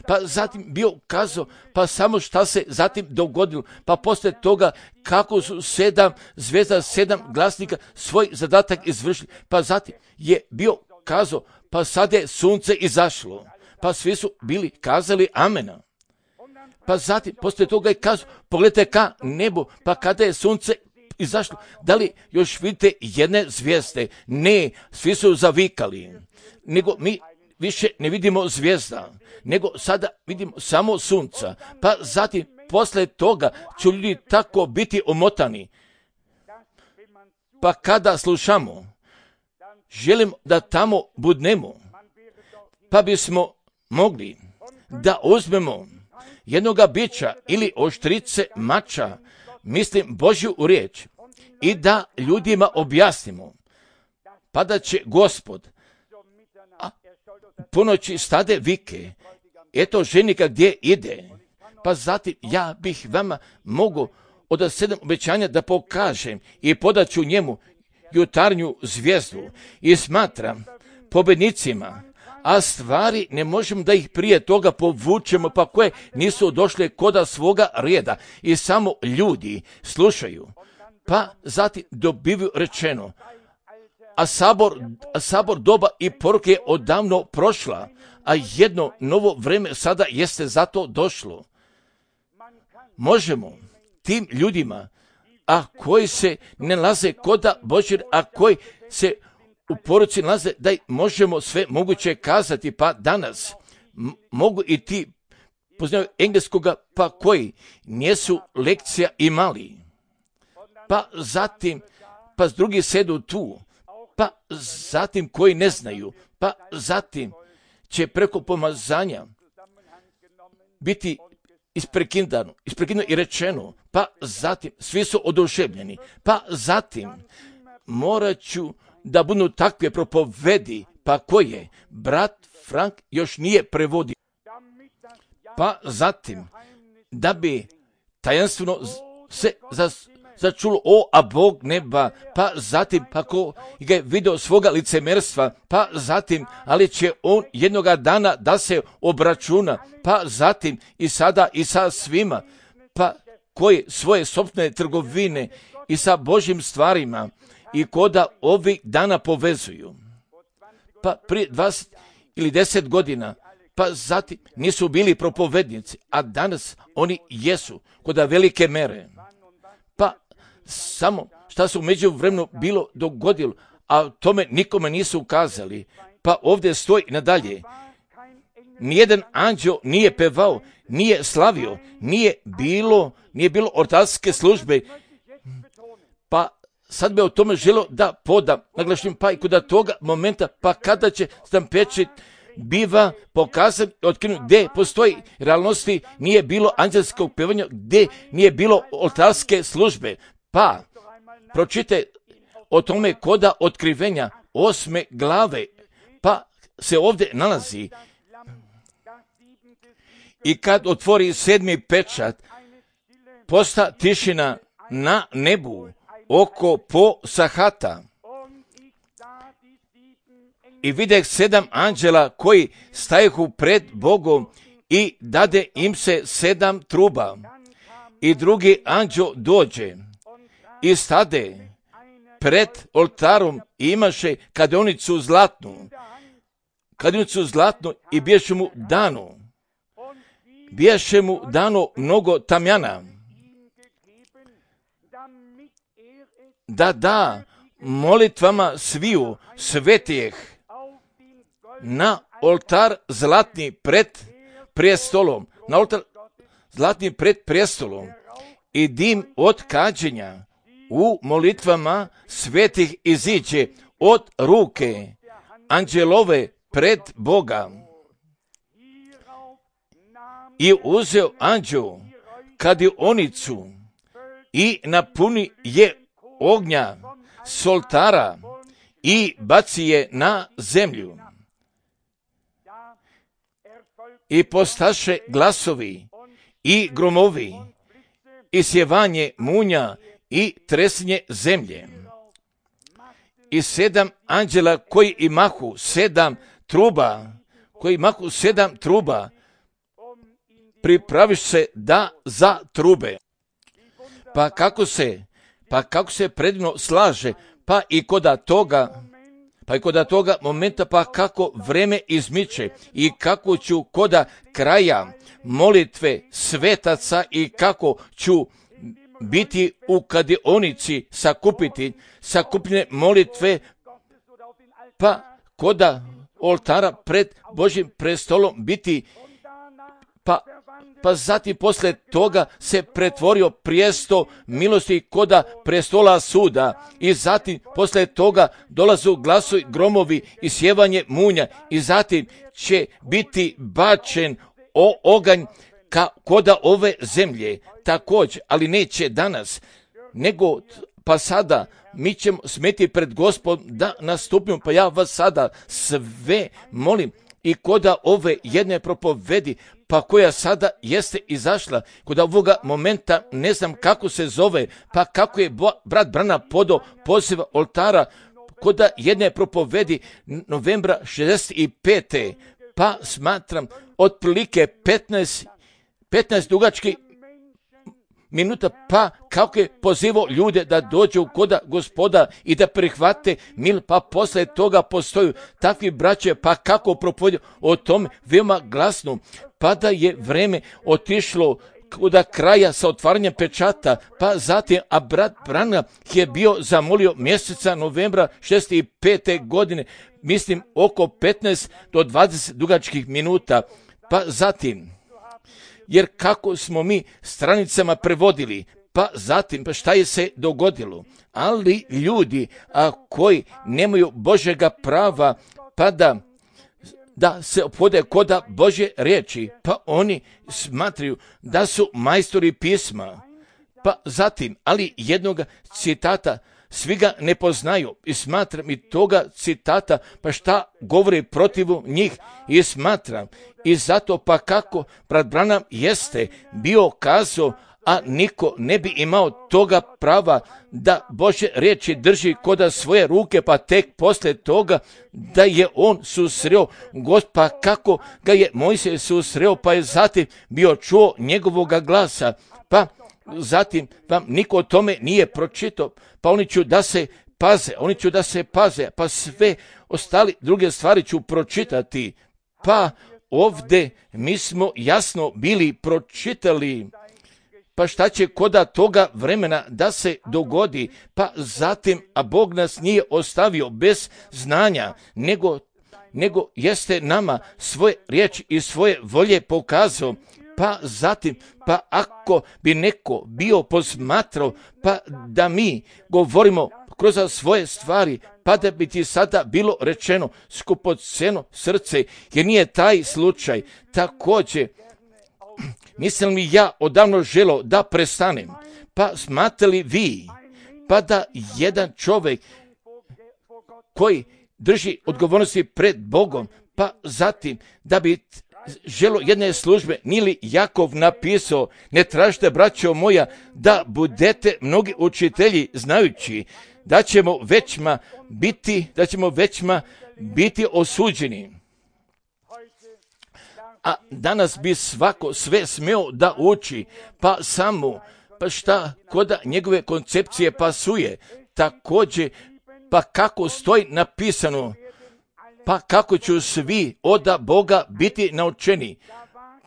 Pa zatim bio kazao, pa samo šta se zatim dogodilo, pa poslije toga kako su sedam zvezda, sedam glasnika svoj zadatak izvršili, pa zatim je bio kazao, pa sad je sunce izašlo, pa svi su bili kazali amena. Pa zatim poslije toga je kazao, pogledajte ka nebu, pa kada je sunce izašlo, da li još vidite jedne zvijezde? Ne, svi su zavikali, nego mi više ne vidimo zvijezda, nego sada vidimo samo sunca, pa zatim posle toga će ljudi tako biti omotani. Pa kada slušamo, želim da tamo budnemo, pa bismo mogli da uzmemo jednoga bića ili oštrice mača, mislim Božju riječ, i da ljudima objasnimo, pa da će Gospod ponoći stade vike, eto ženika gdje ide, pa zatim ja bih vama mogu od sedam obećanja da pokažem i podaću njemu jutarnju zvijezdu i smatram pobednicima, a stvari ne možemo da ih prije toga povučemo, pa koje nisu došle koda svoga reda i samo ljudi slušaju, pa zatim dobivaju rečeno, a sabor, a sabor doba i poruke je odavno prošla, a jedno novo vreme sada jeste zato došlo. Možemo tim ljudima, a koji se ne nalaze koda Božjeg, a koji se u poruci nalaze, da možemo sve moguće kazati, pa danas m- mogu i ti poznaju engleskoga, pa koji nisu lekcija imali. Pa zatim, pa drugi sedu tu, pa zatim koji ne znaju, pa zatim će preko pomazanja biti isprekidano, isprekidano i rečeno, pa zatim svi su oduševljeni, pa zatim morat ću da budu takve propovedi, pa koje brat Frank još nije prevodio. Pa zatim, da bi tajanstveno se začulo, o, a Bog neba, pa zatim, pa ko ga je vidio svoga licemerstva, pa zatim, ali će on jednoga dana da se obračuna, pa zatim i sada i sa svima, pa koji svoje sopstvene trgovine i sa Božjim stvarima i koda ovih dana povezuju. Pa prije dvadeset ili deset godina, pa zatim nisu bili propovednici, a danas oni jesu koda velike mere. Pa samo šta su među vremenu bilo dogodilo, a tome nikome nisu ukazali. Pa ovdje stoji nadalje. Nijedan anđeo nije pevao, nije slavio, nije bilo, nije bilo ortarske službe. Pa sad bi o tome želio da podam, naglašim, pa i kod toga momenta, pa kada će sam pečet biva pokazan i otkrinut gdje postoji realnosti, nije bilo anđelskog pevanja, gdje nije bilo oltarske službe. Pa pročite o tome koda otkrivenja osme glave, pa se ovdje nalazi. I kad otvori sedmi pečat, posta tišina na nebu oko po sahata. I videh sedam anđela koji stajehu pred Bogom i dade im se sedam truba. I drugi anđeo dođe i stade pred oltarom i imaše kadionicu zlatnu. Kadionicu zlatnu i biješe mu dano. Biješe mu dano mnogo tamjana. Da da molitvama sviju svetijeh na oltar zlatni pred prijestolom, na oltar zlatni pred prijestolom i dim od kađenja u molitvama svetih iziđe od ruke anđelove pred Boga. I uzeo anđeo kadionicu i napuni je ognja s oltara i baci je na zemlju. I postaše glasovi i gromovi i sjevanje munja i tresnje zemlje. I sedam anđela koji imahu sedam truba, koji imahu sedam truba, pripraviš se da za trube. Pa kako se, pa kako se predivno slaže, pa i koda toga, pa i koda toga momenta, pa kako vreme izmiče i kako ću koda kraja molitve svetaca i kako ću biti u kadionici sakupiti, sakupljene molitve, pa koda oltara pred Božjim prestolom biti, pa pa zatim posle toga se pretvorio prijesto milosti koda prestola suda i zatim posle toga dolazu glasovi, gromovi i sjevanje munja i zatim će biti bačen o oganj ka, koda ove zemlje također, ali neće danas, nego pa sada mi ćemo smeti pred Gospodom da nastupimo, pa ja vas sada sve molim i koda ove jedne propovedi, pa koja sada jeste izašla, kod ovoga momenta ne znam kako se zove, pa kako je bo, brat Brana podo poziva oltara, koda jedne propovedi novembra šezdeset pete pa smatram otprilike petnaest, petnaest dugački minuta, pa kako je pozivao ljude da dođu koda Gospoda i da prihvate mil, pa posle toga postoju takvi braće, pa kako propovedio o tome veoma glasno, pa da je vreme otišlo do kraja sa otvaranjem pečata, pa zatim, a brat Brana je bio zamolio mjeseca novembra šezdeset pete godine, mislim oko petnaest do dvadeset dugačkih minuta, pa zatim, jer kako smo mi stranicama prevodili, pa zatim, pa šta je se dogodilo? Ali ljudi a koji nemaju Božjega prava, pa da, da se opode koda Božje riječi, pa oni smatraju da su majstori pisma. Pa zatim, ali jednog citata svi ga ne poznaju i smatram i toga citata, pa šta govori protiv njih i smatram. I zato pa kako brat Branham jeste bio kazao, a niko ne bi imao toga prava da Božje riječi drži koda svoje ruke, pa tek poslije toga da je on susreo Gospod, pa kako ga je Mojsije susreo, pa je zatim bio čuo njegovoga glasa, pa zatim vam niko o tome nije pročitao, pa oni ću da se paze, oni ću da se paze, pa sve ostali druge stvari ću pročitati, pa ovdje mi smo jasno bili pročitali. Pa šta će koda toga vremena da se dogodi, pa zatim, a Bog nas nije ostavio bez znanja, nego, nego jeste nama svoje riječi i svoje volje pokazao, pa zatim, pa ako bi neko bio posmatrao, pa da mi govorimo kroz svoje stvari, pa da bi ti sada bilo rečeno skupoceno srce, jer nije taj slučaj. Također, mislim li ja odavno želo da prestanem, pa smatrali vi, pa da jedan čovjek koji drži odgovornosti pred Bogom, pa zatim da bi želo jedne službe, nije li Jakov napisao, ne tražite, braćo moja, da budete mnogi učitelji, znajući da ćemo većma biti, da ćemo većma biti osuđeni. A danas bi svako sve smeo da uči, pa samo, pa šta koda njegove koncepcije pasuje, također, pa kako stoji napisano, pa kako ću svi oda Boga biti naučeni,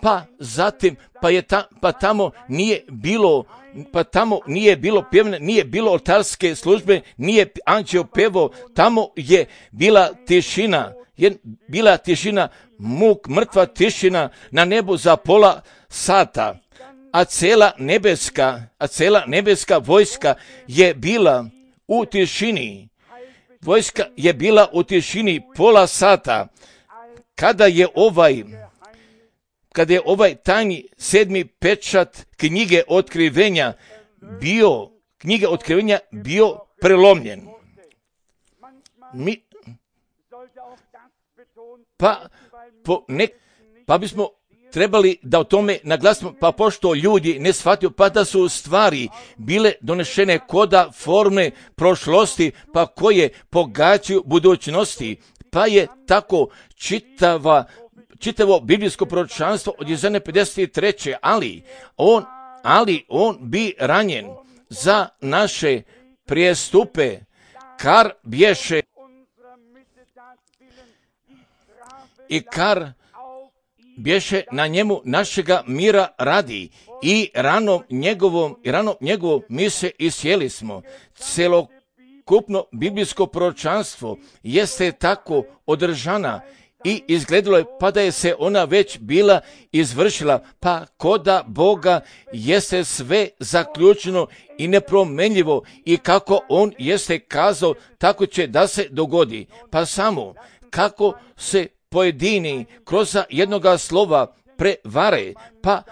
pa zatim, pa, je ta, pa tamo nije bilo, pa tamo nije bilo pjevne, nije bilo oltarske službe, nije anđeo pevao, tamo je bila tišina, je bila tišina, muk, mrtva tišina na nebu za pola sata, a cela nebeska, a cela nebeska vojska je bila u tišini. Vojska je bila u tišini pola sata, kada je ovaj, kada je ovaj tajni sedmi pečat knjige otkrivenja bio, knjige otkrivenja bio prelomljen. Mi, pa, po ne, pa bismo trebali da o tome naglasimo, pa pošto ljudi ne shvatio, pa da su stvari bile donešene koda forme prošlosti, pa koje pogađaju budućnosti, pa je tako čitava, čitavo biblijsko proročanstvo od Jezajne pedeset treće ali on, ali on bi ranjen za naše prijestupe, kar bješe i kar bješe na njemu našega mira radi i ranom njegovom, i ranom njegovom mi se isjeli smo. Celokupno biblijsko proročanstvo jeste tako održana i izgledalo je pa da je se ona već bila izvršila, pa koda Boga jeste sve zaključeno i nepromenljivo i kako on jeste kazao, tako će da se dogodi. Pa samo kako se pojedini kroz jednoga slova prevare, pa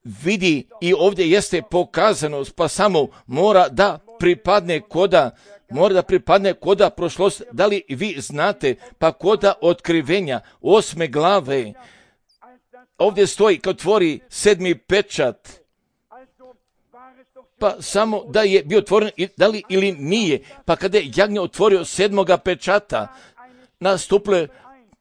vidi i ovdje jeste pokazano, pa samo mora da pripadne koda, mora da pripadne koda prošlost. Da li vi znate, pa koda otkrivenja osme glave, ovdje stoji kad otvori sedmi pečat, pa samo da je bio otvoren, da li ili nije, pa kada je jagnje otvorio sedmoga pečata, nastupilo je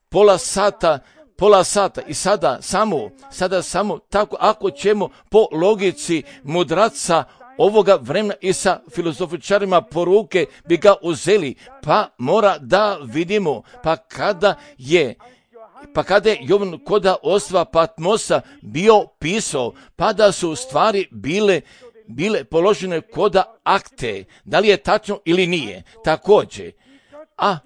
pola sata, pola sata i sada samo, sada samo tako, ako ćemo po logici mudraca ovoga vremena i sa filozofičarima poruke bi ga uzeli, pa mora da vidimo, pa kada je, pa kada je Jovan koda ostva Patmosa bio pisao, pa da su stvari bile, bile položene koda akte, da li je tačno ili nije, također, a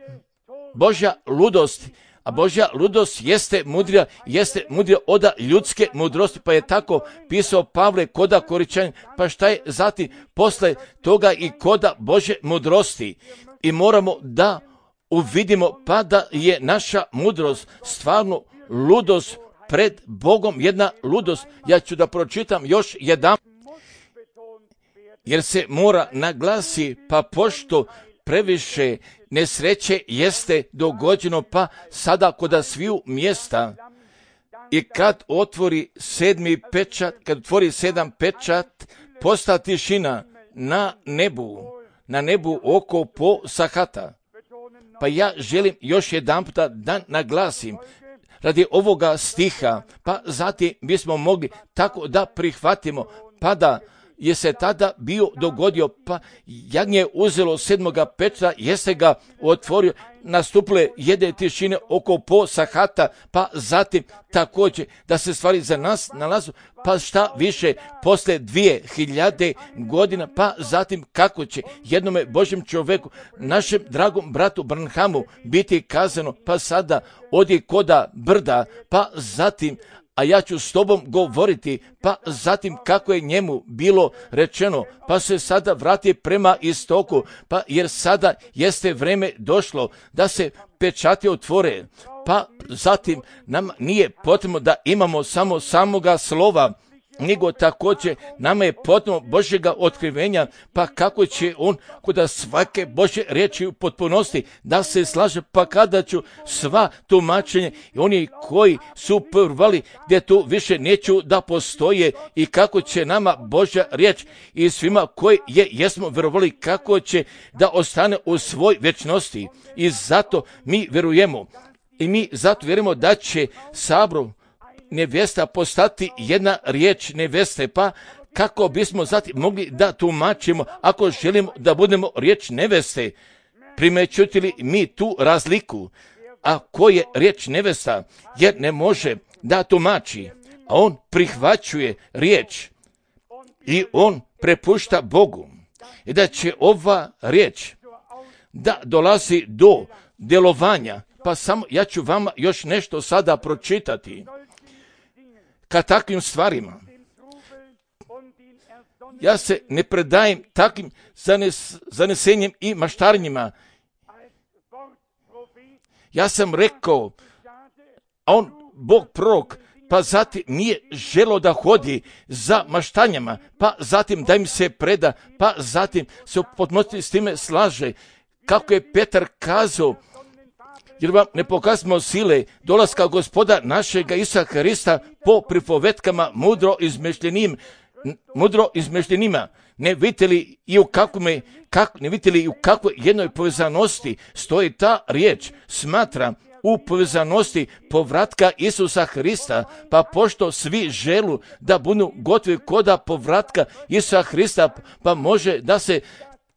Božja ludost, A Božja ludost jeste mudrija, jeste mudrija od ljudske mudrosti, pa je tako pisao Pavle koda Koričan, pa šta je zatim posle toga i koda Božje mudrosti. I moramo da uvidimo pa da je naša mudrost stvarno ludost pred Bogom, jedna ludost. Ja ću da pročitam još jedan. jer se mora naglasi, pa pošto previše nesreće jeste dogođeno, pa sada kod sviju mjesta. I kad otvori sedmi pečat, kad otvori sedam pečat, posta tišina na nebu, na nebu oko po sahata. Pa ja želim još jedan puta da naglasim, radi ovoga stiha, pa zatim bismo mogli tako da prihvatimo, pa da je se tada bio dogodio, pa jagnje uzelo sedmoga pečata, jeste ga otvorio, nastupile jedne tišine oko po sahata, pa zatim također da se stvari za nas nalazu, pa šta više posle dvije hiljade godina, pa zatim kako će jednome Božjem čovjeku, našem dragom bratu Branhamu biti kazano, pa sada odi koda brda, pa zatim a ja ću s tobom govoriti, pa zatim kako je njemu bilo rečeno, pa se sada vrati prema istoku, pa jer sada jeste vreme došlo da se pečati otvore, pa zatim nam nije potrebno da imamo samo samoga slova, nego također nama je potrebno Božjega otkrivenja, pa kako će on kod svake Božje riječi u potpunosti da se slaže, pa kada ću sva tumačenja i oni koji su prvali gdje tu više neću da postoje i kako će nama Božja riječ i svima koji je jesmo vjerovali kako će da ostane u svoj vječnosti. I zato mi vjerujemo i mi zato vjerujemo da će sabor nevjesta postati jedna riječ nevjeste, pa kako bismo zatim mogli da tumačimo ako želimo da budemo riječ nevjeste, primećujete li mi tu razliku, a ko je riječ nevjesta, jer ne može da tumači, a on prihvaćuje riječ i on prepušta Bogu i da će ova riječ da dolazi do djelovanja, pa samo ja ću vama još nešto sada pročitati. Ka takvim stvarima ja se ne predajem takvim zanes, zanesenjem i maštarenjima. Ja sam rekao, a on, Bog prorok, pa zatim nije želo da hodi za maštanjama, pa zatim da im se preda, pa zatim se u potpunosti s time slaže. Kako je Petar kazao, jer vam ne pokazimo sile dolaska Gospoda našega Isusa Hrista po pripovetkama mudro izmišljenim, mudro izmišljenima. Ne vidite li i u kakvome, kak, ne vidite li i u kakvoj jednoj povezanosti stoji ta riječ, smatra u povezanosti povratka Isusa Hrista, pa pošto svi želu da budu gotovi koda povratka Isusa Hrista, pa može da se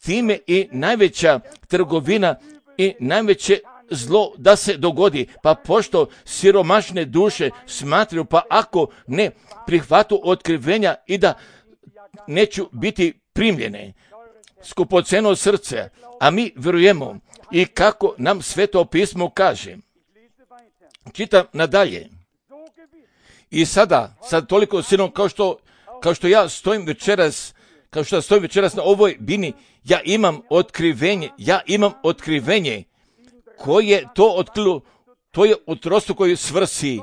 time i najveća trgovina i najveće zlo da se dogodi, pa pošto siromašne duše smatraju, pa ako ne prihvatu otkrivenja i da neću biti primljene, skupoceno srce, a mi vjerujemo i kako nam Sveto pismo kaže. Čitam nadalje. I sada, sad toliko silno kao što, kao što ja stojim večeras, kao što ja stojim večeras na ovoj bini, ja imam otkrivenje, ja imam otkrivenje koje to otkrilo, to je u trostrukoj svrsi.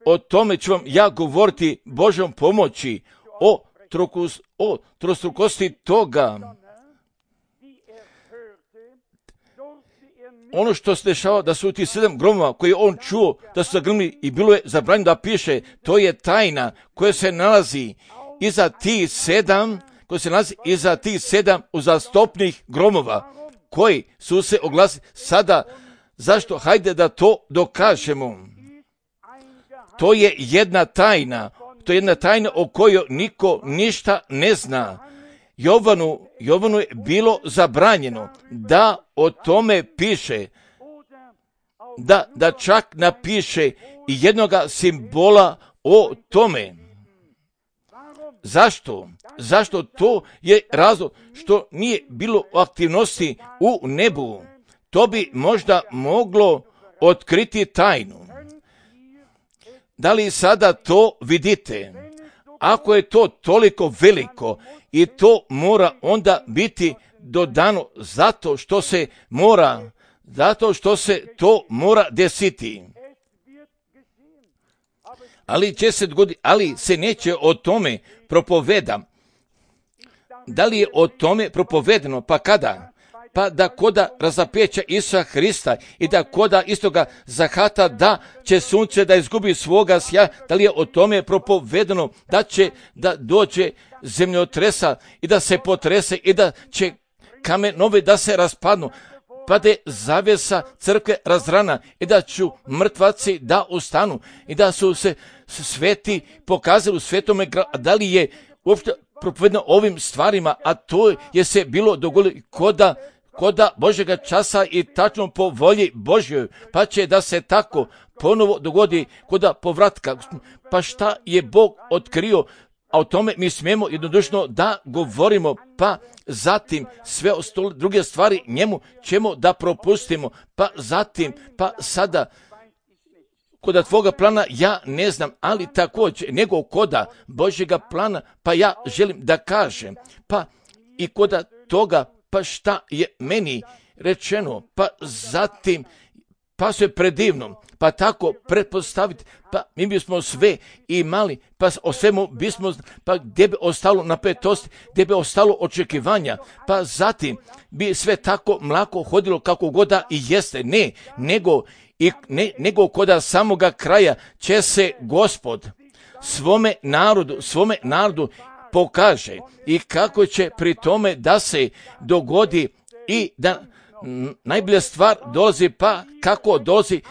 O tome ću vam ja govoriti Božjom pomoći, o, trokus, o trostrukosti toga. Ono što se dešava da su ti sedam gromova koje on čuo da su zagrmili i bilo je zabranjeno da piše, to je tajna koja se nalazi iza tih sedam, koja se nalazi iza tih sedam uzastopnih gromova koji su se oglasili. Sada, zašto? Hajde da to dokažemo. To je jedna tajna, to je jedna tajna o kojoj niko ništa ne zna. Jovanu, Jovanu je bilo zabranjeno da o tome piše, da, da čak napiše i jednoga simbola o tome. Zašto? Zašto? To je razlog što nije bilo aktivnosti u nebu. To bi možda moglo otkriti tajnu. Da li sada to vidite? Ako je to toliko veliko i to mora onda biti dodano zato što se mora, zato što se to mora desiti. Ali će se dogoditi, ali se neće o tome propoveda. da li je o tome propovedeno? Pa kada? Pa da koda razapeća Isusa Hrista i da koda istoga zahata da će sunce da izgubi svoga sja, da li je o tome propovedeno da će da dođe zemljotresa i da se potrese i da će kamenovi da se raspadnu, pa da je zavjesa crkve razrana i da ću mrtvaci da ustanu i da su se sveti pokazali u svetome gradu. Da li je uopšte propovedeno ovim stvarima, a to je se bilo dogodilo koda koda Božjega časa i tačno po volji Božjoj, pa će da se tako ponovo dogodi koda povratka. Pa šta je Bog otkrio, a o tome mi smijemo jednodušno da govorimo, pa zatim sve ostale druge stvari njemu ćemo da propustimo, pa zatim, pa sada koda tvoga plana ja ne znam, ali također nego koda Božjega plana, pa ja želim da kažem, pa i koda toga, pa šta je meni rečeno, pa zatim, pa sve predivno, pa tako pretpostaviti, pa mi bismo sve imali, pa o svemu bismo, pa gdje bi ostalo napetosti, gdje bi ostalo očekivanja, pa zatim bi sve tako mlako hodilo kako god da i jeste, ne, nego, i, ne, nego koda samoga kraja će se Gospod svome narodu, svome narodu pokaže i kako će pri tome da se dogodi i da najbolja stvar dolazi, pa kako dolazi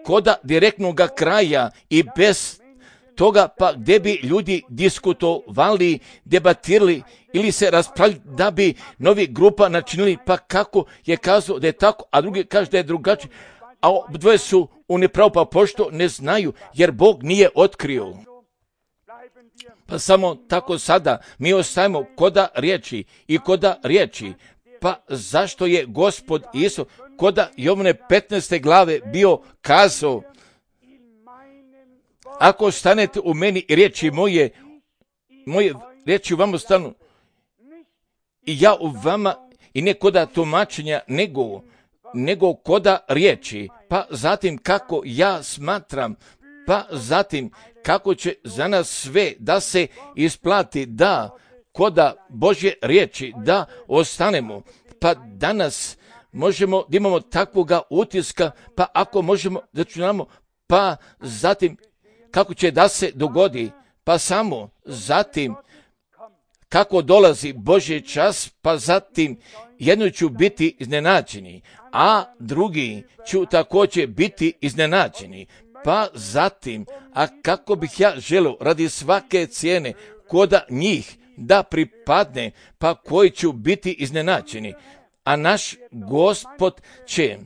koda direktnog kraja i bez toga, pa gdje bi ljudi diskutovali, debatirali ili se raspravljali da bi novi grupa načinili, pa kako je kazao da je tako, a drugi kaže da je drugačije, a dvoje su u nepravu, pa pošto ne znaju, jer Bog nije otkrio. Pa samo tako sada mi ostajemo koda riječi i koda riječi. Pa zašto je Gospod Isus koda Jovane petnaeste glave bio kazao, ako stanete u meni i riječi moje, moje riječi u vama stanu i ja u vama, i ne koda tumačenja, nego, nego koda riječi, pa zatim kako ja smatram, pa zatim kako će za nas sve da se isplati, da koda Božje riječi da ostanemo, pa danas možemo da imamo takvoga utiska, pa ako možemo da čunamo, pa zatim kako će da se dogodi, pa samo zatim kako dolazi Božji čas, pa zatim jedno ću biti iznenađeni, a drugi ću također biti iznenađeni. Pa zatim, a kako bih ja želio radi svake cijene koda njih da pripadne, pa koji ću biti iznenađeni. A naš Gospod će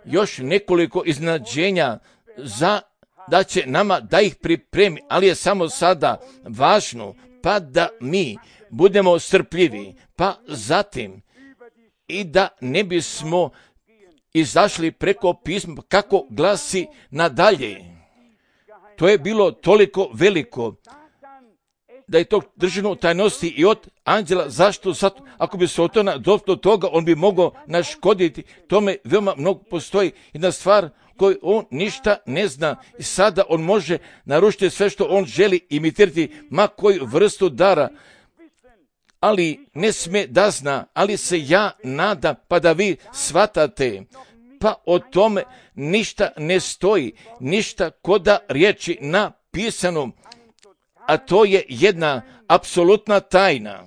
još nekoliko iznenađenja za da će nama da ih pripremi, ali je samo sada važno pa da mi budemo strpljivi, pa zatim i da ne bismo izašli preko pisma kako glasi nadalje. To je bilo toliko veliko da je to držano u tajnosti i od anđela. Zašto? Zato, ako bi se otona do toga, on bi mogao naškoditi. Tome veoma mnogo postoji jedna stvar koju on ništa ne zna i sada on može narušiti sve što on želi imitirati, ma koju vrstu dara, ali ne sme da zna, ali se ja nadam pa da vi shvatate, pa o tome ništa ne stoji, ništa koda riječi napisano, a to je jedna apsolutna tajna.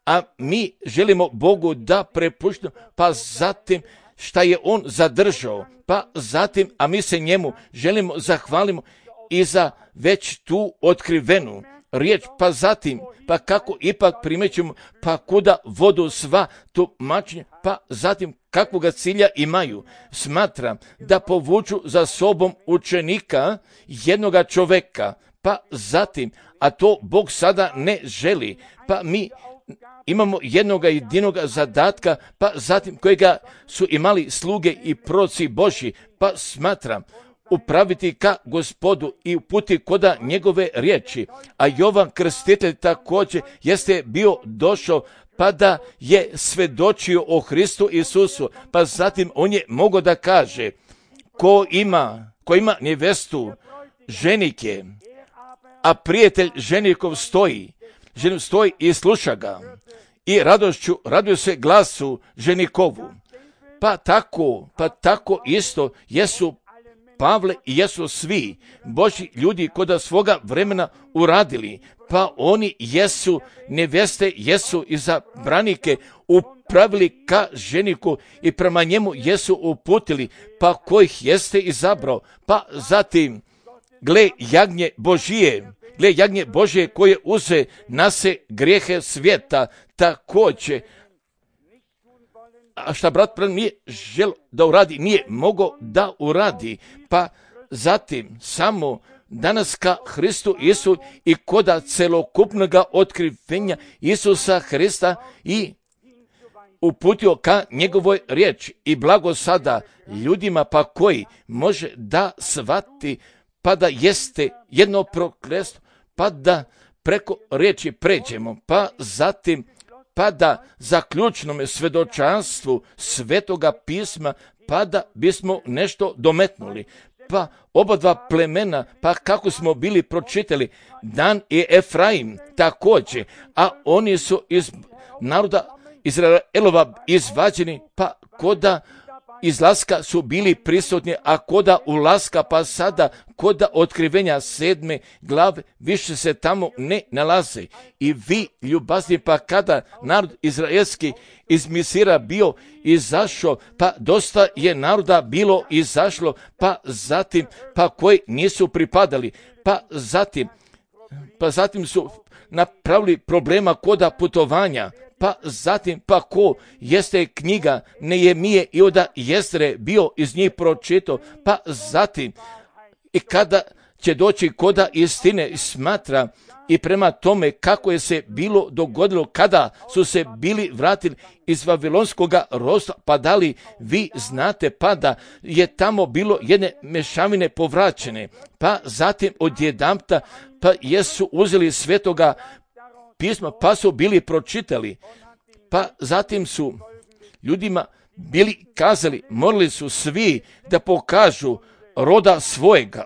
A mi želimo Bogu da prepuštamo, pa zatim šta je on zadržao, pa zatim, a mi se njemu želimo zahvalimo i za već tu otkrivenu riječ, pa zatim, pa kako ipak primećemo, pa kuda vodu sva tumačenja, pa zatim kakvoga cilja imaju. Smatram da povuču za sobom učenika jednoga čoveka, pa zatim, a to Bog sada ne želi, pa mi imamo jednoga jedinoga zadatka, pa zatim kojega su imali sluge i proroci Božji, pa smatram upraviti ka Gospodu i uputi koda njegove riječi. A Jovan Krstitelj također jeste bio došao pa da je svedočio o Hristu Isusu, pa zatim on je mogao da kaže ko ima, ko ima nevestu, ženik je, a prijatelj ženikov stoji, ženik stoji i sluša ga. i radošću raduje se glasu ženikovu. Pa tako, pa tako isto jesu Pavle i jesu svi Božji ljudi koda svoga vremena uradili, pa oni jesu neveste, jesu izabranike upravili ka ženiku i prema njemu jesu uputili, pa kojih jeste izabrao, pa zatim gle jagnje Božije, gle jagnje Božije koje uze na se grijehe svijeta, također. A šta brat nije žel da uradi, nije mogao da uradi, pa zatim samo danas ka Hristu Isu i koda celokupnog otkrivenja Isusa Hrista i uputio ka njegovoj riječi i blago sada ljudima pa koji može da shvati pa da jeste jedno prokletstvo, pa da preko riječi pređemo, pa zatim pa da zaključnome svedočanstvu Svetoga pisma, pa da bismo nešto dometnuli. Pa oba dva plemena, pa kako smo bili pročitali, Dan i Efraim također, a oni su iz naroda Izraelova izvađeni, pa koda izlaska su bili prisutni, a koda ulaska, pa sada koda otkrivenja sedme glave više se tamo ne nalaze. I vi, ljubazni, pa kada narod izraelski iz Misira bio izašao, pa dosta je naroda bilo izašlo, pa zatim, pa koji nisu pripadali, pa zatim, pa zatim su napravili problema koda putovanja, pa zatim, pa ko jeste knjiga Nehemije i oda Jestre bio iz njih pročito, pa zatim, i kada će doći koda istine smatra i prema tome kako je se bilo dogodilo kada su se bili vratili iz Vavilonskog ropstva, pa da li vi znate pa da je tamo bilo jedne mešavine povraćene, pa zatim odjedanput pa jesu uzeli Svetoga pisma, pa su bili pročitali, pa zatim su ljudima bili kazali, morali su svi da pokažu roda svojega.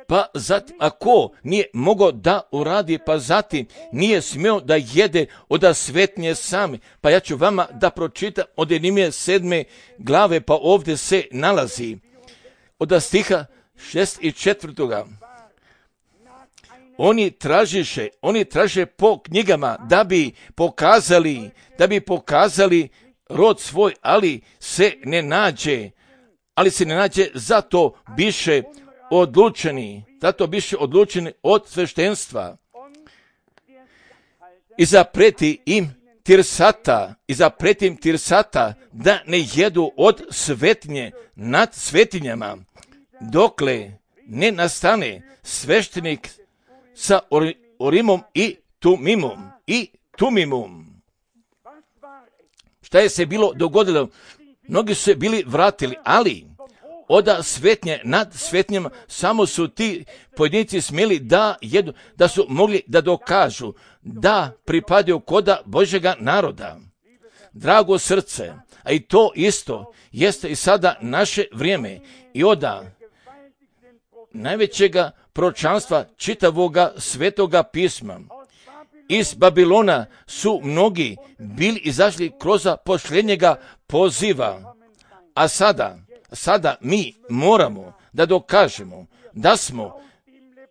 Pa zatim, ako nije mogao da uradi, pa zatim nije smio da jede od svetnje same. Pa ja ću vama da pročitam od Nehemije sedme glave, pa ovdje se nalazi od stiha šest i četvrtoga. Oni tražiše, oni traže po knjigama da bi pokazali, da bi pokazali rod svoj, ali se ne nađe, ali se ne nađe, zato biše odlučeni, zato biše odlučeni od sveštenstva. I zapreti im Tirsata, i zapreti im Tirsata da ne jedu od svetnje nad svetinjama, dokle ne nastane sveštenik sa Urimom i Tumimom i Tumimom. Šta je se bilo dogodilo? Mnogi su se bili vratili, ali od svetnje nad svetnjama samo su ti pojedinci smjeli da jedu, da su mogli da dokažu da pripadaju koda Božjega naroda. Drago srce, a i to isto jeste i sada naše vrijeme i oda najvećega proročanstva čitavoga Svetoga pisma. Iz Babilona su mnogi bili izašli kroz posljednjega poziva, a sada, sada mi moramo da dokažemo da smo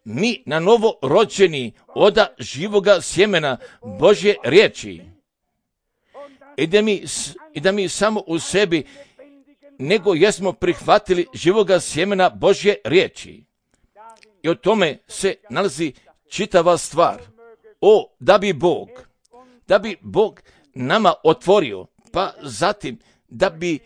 mi na novo rođeni od živoga sjemena Božje riječi i da mi, i da mi samo u sebi nego jesmo prihvatili živoga sjemena Božje riječi. I o tome se nalazi čitava stvar. O, da bi Bog, da bi Bog nama otvorio, pa zatim da bi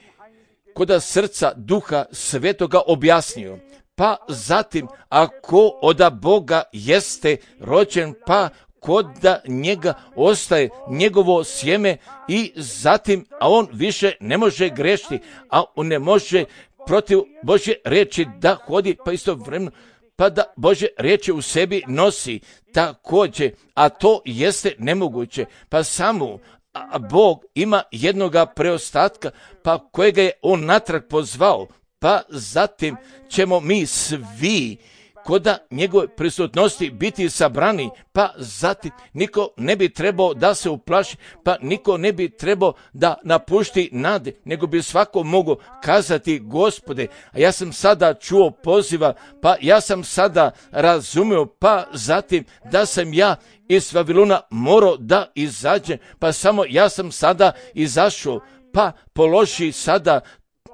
koda srca Duha Svetoga objasnio, pa zatim ako od Boga jeste rođen, pa koda njega ostaje njegovo sjeme i zatim, a on više ne može grešiti, a on ne može protiv Božje riječi da hodi, pa istovremeno pa da Božje riječi u sebi nosi također, a to jeste nemoguće, pa samo a Bog ima jednoga preostatka, pa kojega je on natrag pozvao, pa zatim ćemo mi svi koda njegove prisutnosti biti sabrani, pa zatim niko ne bi trebao da se uplaši, pa niko ne bi trebao da napušti nade, nego bi svako mogao kazati: Gospode, a ja sam sada čuo poziva, pa ja sam sada razumio, pa zatim da sam ja iz Vavilona morao da izađem, pa samo ja sam sada izašao, pa položi sada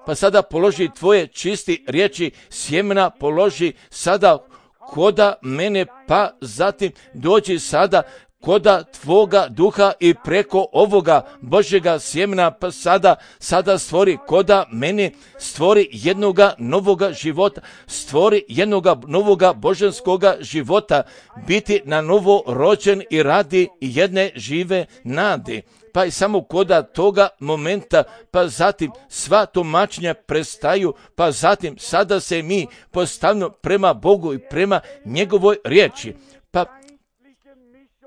Pa sada položi tvoje čisti riječi sjemena, položi sada koda mene, pa zatim dođi sada koda tvoga duha i preko ovoga Božjega sjemena, pa sada, sada stvori koda mene, stvori jednoga novoga života, stvori jednoga novoga božanskoga života, biti na novo rođen i radi jedne žive nade. Pa i samo koda toga momenta, pa zatim sva tumačenja prestaju, pa zatim sada se mi postavimo prema Bogu i prema njegovoj riječi. Pa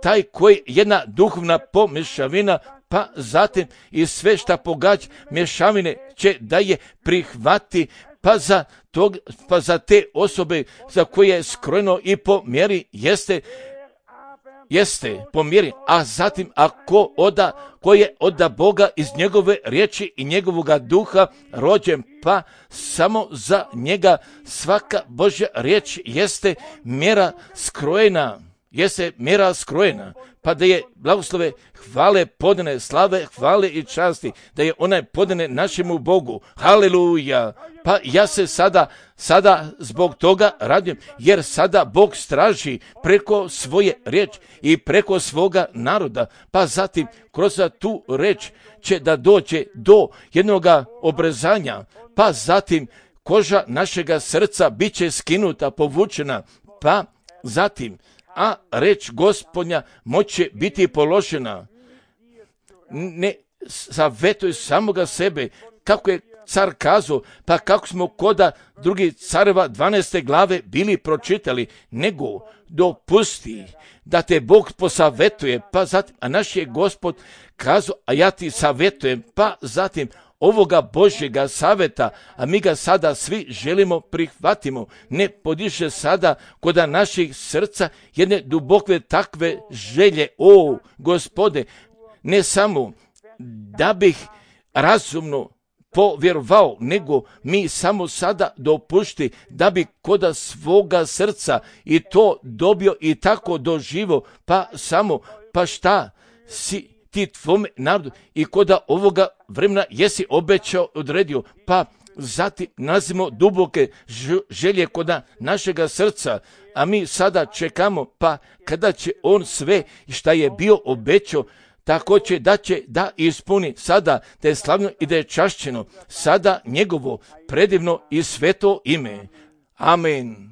taj koji jedna duhovna pomješavina, pa zatim i sve šta pogađa mješavine će da je prihvati, pa za, tog, pa za te osobe za koje je skrojeno i po mjeri jeste Jeste po mjeri, a zatim ako oda, ko je oda Boga iz njegove riječi i njegovoga duha rođen, pa samo za njega svaka Božja riječ jeste mjera skrojena, jeste mjera skrojena, pa da je blagoslove, hvale, podane, slave, hvale i časti, da je onaj podane našemu Bogu. Haleluja! Pa ja se sada, sada zbog toga radim, jer sada Bog straži preko svoje riječi i preko svoga naroda, pa zatim kroz tu riječ će da dođe do jednoga obrezanja, pa zatim koža našega srca bit će skinuta, povučena, pa zatim a reč Gospodnja moće biti položena. Ne savjetuj samoga sebe, kako je car kazao, pa kako smo koda drugih careva dvanaeste glave bili pročitali, nego dopusti da te Bog posavetuje, pa zatim, a naš je Gospod kazao, a ja ti savjetujem, pa zatim ovoga Božjega savjeta, a mi ga sada svi želimo prihvatimo, ne podiže sada koda naših srca jedne duboke takve želje, o Gospode, ne samo da bih razumno povjerovao, nego mi samo sada dopušti da bi koda svoga srca i to dobio i tako doživo, pa samo, pa šta si ti tvome narodu i koda ovoga vremena jesi obećao, odredio, pa zatim nalazimo duboke želje koda našega srca, a mi sada čekamo, pa kada će on sve šta je bio obećao, tako će da će da ispuni sada, da je slavno i da je čašćeno sada njegovo predivno i sveto ime. Amen.